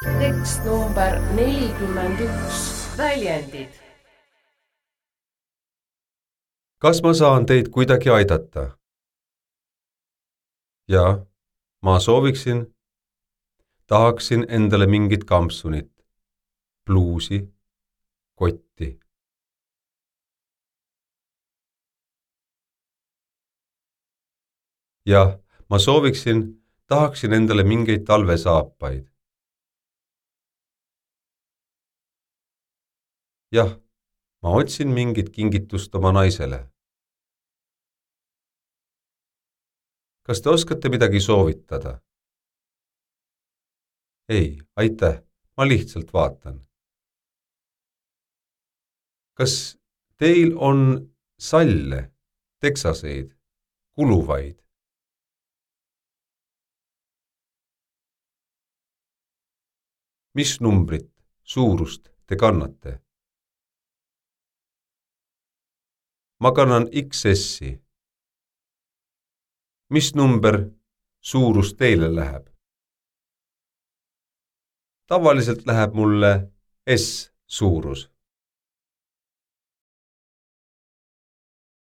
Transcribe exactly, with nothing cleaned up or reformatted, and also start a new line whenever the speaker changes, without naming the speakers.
tekst number nelikümmend üks. Väljendid.
Kas ma saan teid kuidagi aidata? Jaa, ma sooviksin, tahaksin endale mingit kampsunit, pluusi, kotti. Jah, ma sooviksin, tahaksin endale mingeid talvesaapaid. Jah, ma otsin mingit kingitust oma naisele. Kas te oskate midagi soovitada? Ei, aitäh, ma lihtsalt vaatan. Kas teil on salle, teksaseid, kuluvaid? Mis numbrit, suurust te kannate? Ma kannan X S-i. Mis number suurus teile läheb? Tavaliselt läheb mulle S suurus.